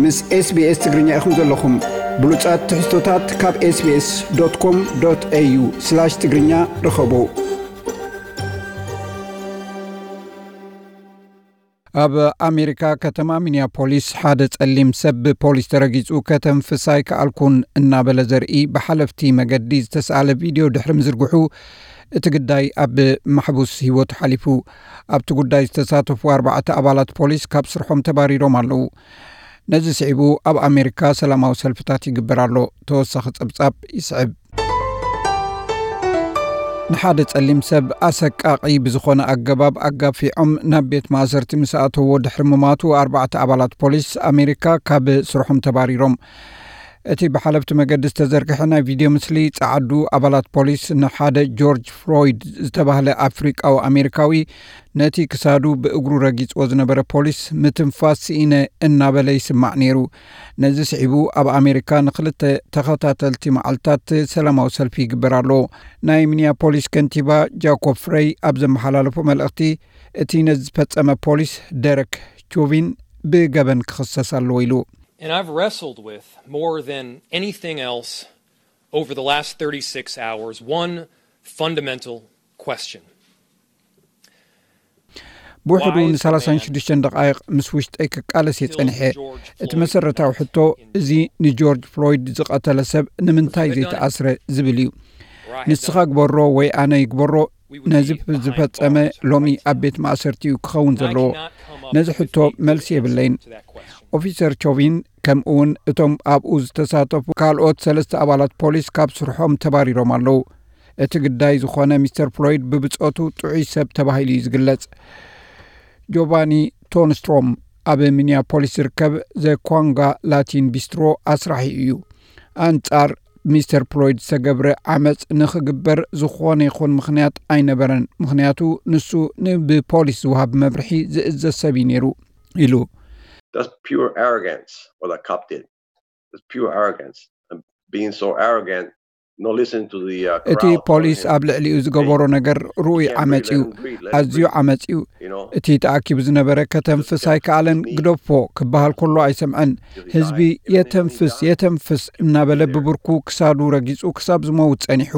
ምስ SBS ትግርኛ ኢኹም ዘለኹም። ብሉጻት ትሕዝቶታት ካብ SBS.com.au/ትግርኛ ርኸቡ። ኣብ ኣሜሪካ ከተማ ሚኒያፖሊስ ሓደ ጸሊም ሰብ ብፖሊስ ተረጊጹ፣ "ከተንፍስ ኣይከኣልኩን" እናበለ ዘርኢ ብሓለፍቲ መገዲ ዝተሳእለ ቪድዮ ድሕሪ ምዝርግሑ፣ እቲ ግዳይ ኣብ ማሕቡስ ህይወቱ ሓሊፉ። ኣብቲ ጉዳይ ዝተሳተፉ ኣርባዕተ ኣባላት ፖሊስ ካብ ስርሖም ተባሪሮም ኣለዉ። ነዚ ስዒቡ ኣብ ኣሜሪካ ሰላማዊ ሰልፍታት ይግበር ኣሎ። ተወሳኺ ጸብጻብ ይስዕብ። ንሓደ ጸሊም ሰብ ኣሰቃቒ ብዝኾነ ኣገባብ ኣጋፊዖም ናብ ቤት ማእሰርቲ ምስ ኣተዎ ድሕሪ ምማቱ፣ ኣርባዕተ ኣባላት ፖሊስ ኣሜሪካ ካብ ስርሖም ተባሪሮም። እቲ ብሓለፍቲ መገዲ ዝተዘርግሐ ናይ ቪድዮ ምስሊ፣ ጸዓዱ ኣባላት ፖሊስ ንሓደ ጆርጅ ፍሎይድ ዝተባህለ ኣፍሪቃዊ ኣሜሪካዊ፣ ነቲ ክሳዱ ብእግሩ ረጊጽዎ ዝነበረ ፖሊስ፣ "ምትንፋስ ስኢነ" እናበለ ይስማዕ ነይሩ። ነዚ ስዒቡ ኣብ ኣሜሪካ ንኽልተ ተኸታተልቲ መዓልታት ሰላማዊ ሰልፊ ይግበር ኣሎ። ናይ ሚኒያፖሊስ ከንቲባ ጃኮብ ፍሬይ ኣብ ዘመሓላለፎ መልእኽቲ፣ እቲ ነዚ ዝፈጸመ ፖሊስ ደረክ ቾቪን ብገበን ክኽሰስ ኣለዎ ኢሉ። And I've wrestled with, more than anything else, over the last thirty-six hours, one fundamental question. ብውሕዱ ንሰላሳን ሽዱሽተን ደቓይቕ ምስ ውሽጠይ ክቃለስ እየ ጸኒሐ። እቲ መሰረታዊ ሕቶ፣ እዚ ንጆርጅ ፍሎይድ ዝቐተለ ሰብ ንምንታይ ዘይተኣስረ ዝብል እዩ። ንስኻ ግበሮ ወይ ኣነ ይግበሮ፣ ነዚ ዝፈጸመ ሎሚ ኣብ ቤት ማእሰርቲ እዩ ክኸውን ዘለዎ። ነዚ ሕቶ መልሲ የብለይን። ኦፊሰር ቾቪን፣ ከምኡ እውን እቶም ኣብኡ ዝተሳተፉ ካልኦት ሰለስተ ኣባላት ፖሊስ ካብ ስርሖም ተባሪሮም ኣለዉ። እቲ ግዳይ ዝኾነ ሚስተር ፍሎይድ ብብጾቱ ጥዑይ ሰብ ተባሂሉ እዩ ዝግለጽ። ጆቫኒ ቶንስትሮም ኣብ ሚኒያፖሊስ ዝርከብ ዘ ኳንጋ ላቲን ቢስትሮ ኣስራሒ እዩ። ኣንጻር ሚስተር ፍሎይድ ዝተገብረ ዓመጽ ንኽግበር ዝኾነ ይኹን ምኽንያት ኣይነበረን፣ ምኽንያቱ ንሱ ን-፣ ብፖሊስ ዝወሃብ መብርሒ ዝእዘዝ ሰብ እዩ ነይሩ ኢሉ። That's pure arrogance, what that cop did. That's pure arrogance. And being so arrogant, not listening to the, uh, እቲ crowd telling ፖሊስ him, ኣብ ልዕሊኡ ዝገበሮ ነገር ርኡይ ዓመጽ እዩ። ኣዝዩ ዓመጽ እዩ። እቲ ተኣኪቡ ዝነበረ "ከተንፍስ ኣይከኣለን፣ ግደፎ" ክበሃል ከሎ ኣይሰምዐን። ህዝቢ "የተንፍስ፣ የተንፍስ" እናበለ ብብርኩ ክሳዱ ረጊጹ ክሳብ ዝመውት ጸኒሑ።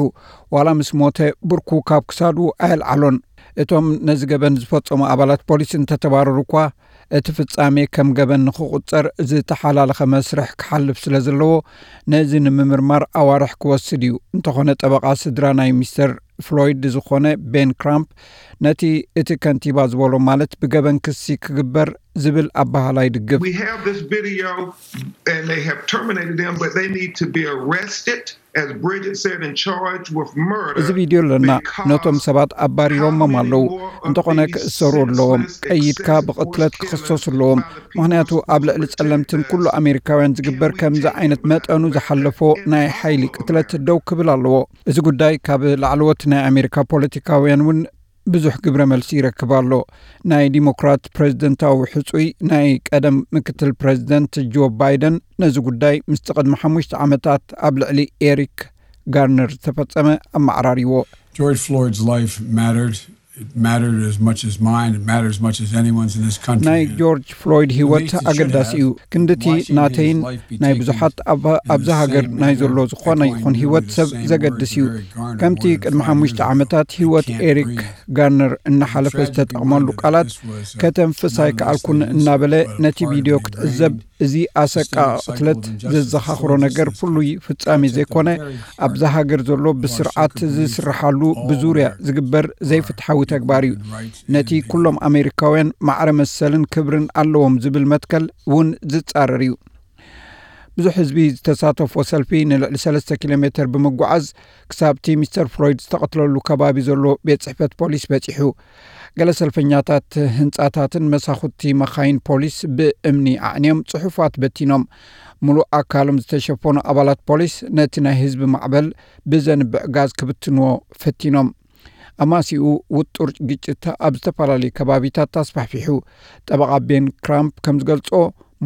ዋላ ምስ ሞተ ብርኩ ካብ ክሳዱ ኣየልዓሎን። እቶም ነዚ ገበን ዝፈጸሙ ኣባላት ፖሊስ እንተተባረሩ እኳ፣ እቲ ፍጻሜ ከም ገበን ንኽቑጸር ዝተሓላለኸ መስርሕ ክሓልፍ ስለ ዘለዎ፣ ነዚ ንምምርማር ኣዋርሕ ክወስድ እዩ። እንተኾነ፣ ጠበቓ ስድራ ናይ ሚስተር ፍሎይድ ዝኾነ ቤን ክራምፕ፣ ነቲ እቲ ከንቲባ ዝበሎ፣ ማለት ብገበን ክሲ ክግበር ዝብል ኣበሃህላ ይድግፍ። We have this video, and they have terminated them, but they need to be arrested, as Bridget said, and charged with murder. እዚ ቪድዮ ኣለና፣ ነቶም ሰባት ኣባሪሮሞም ኣለዉ። እንተኾነ ክእሰሩ ኣለዎም። ቀይድካ ብቕትለት ክኽሰሱ ኣለዎም። ምኽንያቱ ኣብ ልዕሊ ጸለምትን ኩሉ ኣሜሪካውያን ዝግበር ከምዚ ዓይነት መጠኑ ዝሓለፎ ናይ ሓይሊ ቅትለት ደው ክብል ኣለዎ። እዚ ጉዳይ ካብ ላዕለዎት ናይ ኣሜሪካ ፖለቲካውያን እውን ብዙሕ ግብረ መልሲ ይረክብ ኣሎ። ናይ ዲሞክራት ፕሬዝደንታዊ ሕጹይ ናይ ቀደም ምክትል ፕሬዝደንት ጆ ባይደን ነዚ ጉዳይ ምስቲ ቅድሚ ሓሙሽተ ዓመታት ኣብ ልዕሊ ኤሪክ ጋርነር ዝተፈጸመ ኣመዓራሪዎ። George Floyd's life mattered. It mattered as much as mine. It mattered as much as anyone's in this country. ናይ ጆርጅ ፍሎይድ ህይወት ኣገዳሲ እዩ። ክንድቲ ናተይን ናይ ብዙሓት ኣብ-፣ ኣብዛ ሃገር ናይ ዘሎ ዝኾነ ይኹን ህይወት ሰብ ዘገድስ እዩ። ከምቲ ቅድሚ ሓሙሽተ ዓመታት ህይወት ኤሪክ ጋርነር እናሓለፈ ዝተጠቕመሉ ቃላት፣ "ከተንፍስ ኣይከኣልኩን" እናበለ ነቲ ቪድዮ ክትዕዘብ፣ እዚ ኣሰቃቒ ቅትለት ዘዘኻኽሮ ነገር ፍሉይ ፍጻሜ ዘይኮነ፣ ኣብዛ ሃገር ዘሎ ብስርዓት ዝስርሓሉ ብዙርያ ዝግበር ዘይፍትሓዊ ተግባር እዩ። ነቲ ኩሎም ኣሜሪካውያን ማዕረ መሰልን ክብርን ኣለዎም ዝብል መትከል እውን ዝጻረር እዩ። ብዙሕ ህዝቢ ዝተሳተፎ ሰልፊ ንልዕሊ ሰለስተ ኪሎ ሜተር ብምጓዓዝ ክሳብቲ ሚስተር ፍሎይድ ዝተቐትለሉ ከባቢ ዘሎ ቤት ጽሕፈት ፖሊስ በጺሑ። ገለ ሰልፈኛታት ህንጻታትን መሳኹቲ መኻይን ፖሊስ ብእምኒ ኣዕንዮም ጽሑፋት በቲኖም። ምሉእ ኣካሎም ዝተሸፈኑ ኣባላት ፖሊስ ነቲ ናይ ህዝቢ ማዕበል ብዘንብዕ ጋዝ ክብትንዎ ፈቲኖም። ኣማሲኡ ውጡር ግጭት ኣብ ዝተፈላለዩ ከባቢታት ኣስፋሕፊሑ። ጠበቓ ቤን ክራምፕ ከም ዝገልጾ፣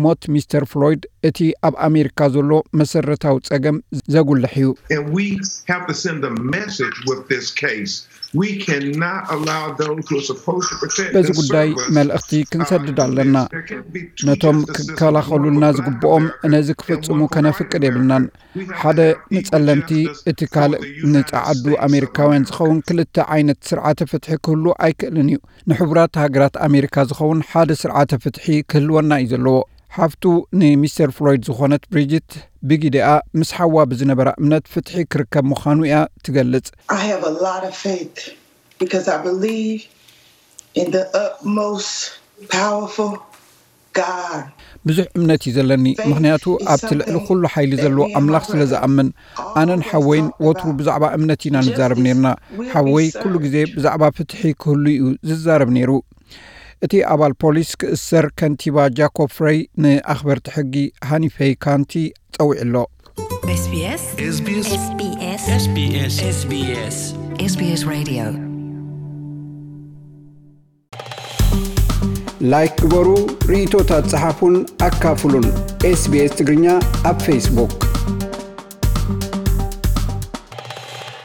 ሞት ሚስተር ፍሎይድ እቲ ኣብ ኣሜሪካ ዘሎ መሰረታዊ ጸገም ዘጉልሕ እዩ። And we have to send a message with this case. We cannot allow those who are supposed to protect በዚ and ጉዳይ serve us መልእኽቲ uh, ክንሰድድ do ኣለና። this. There can't be two ነቶም justices, one ክከላኸሉልና for the ዝግብኦም America ነዚ and ክፍጽሙ one for the white ከነፍቅድ America. የብልናን። We have ሓደ to have equal ንጸለምቲ justice እቲ for ካልእ the United ንጸዓዱ States of ኣሜሪካውያን America. ዝኸውን ክልተ ዓይነት ስርዓተ ፍትሒ ክህሉ ኣይክእልን እዩ። ንሕቡራት ሃገራት ኣሜሪካ ዝኸውን ሓደ ስርዓተ ፍትሒ ክህልወና እዩ ዘለዎ። ሓፍቱ ንሚስተር ፍሎይድ ዝኾነት ብሪጅት ብጊደኣ ምስ ሓዋ ብዝነበራ እምነት ፍትሒ ክርከብ ምዃኑ እያ ትገልጽ። I have a lot of faith because I believe in the utmost powerful God. ብዙሕ እምነት እዩ ዘለኒ፣ ምኽንያቱ ኣብቲ ልዕሊ ኩሉ ሓይሊ ዘለዎ ኣምላኽ ስለ ዝኣምን። ኣነን ሓወይን ወትሩ ብዛዕባ እምነት ኢና ንዛረብ ነርና። ሓወይ ኩሉ ግዜ ብዛዕባ ፍትሒ ክህሉ እዩ ዝዛረብ ነይሩ። እቲ ኣባል ፖሊስ ክእሰር ከንቲባ ጃኮብ ፍረይ ንኣኽበርቲ ሕጊ ሃኒፈይ ካንቲ ጸዊዑ ኣሎ። SBS SBS SBS SBS SBS SBS Radio ላይክ ግበሩ፣ ርእይቶታት ጸሓፉን ኣካፍሉን። SBS ትግርኛ ኣብ ፌስቡክ።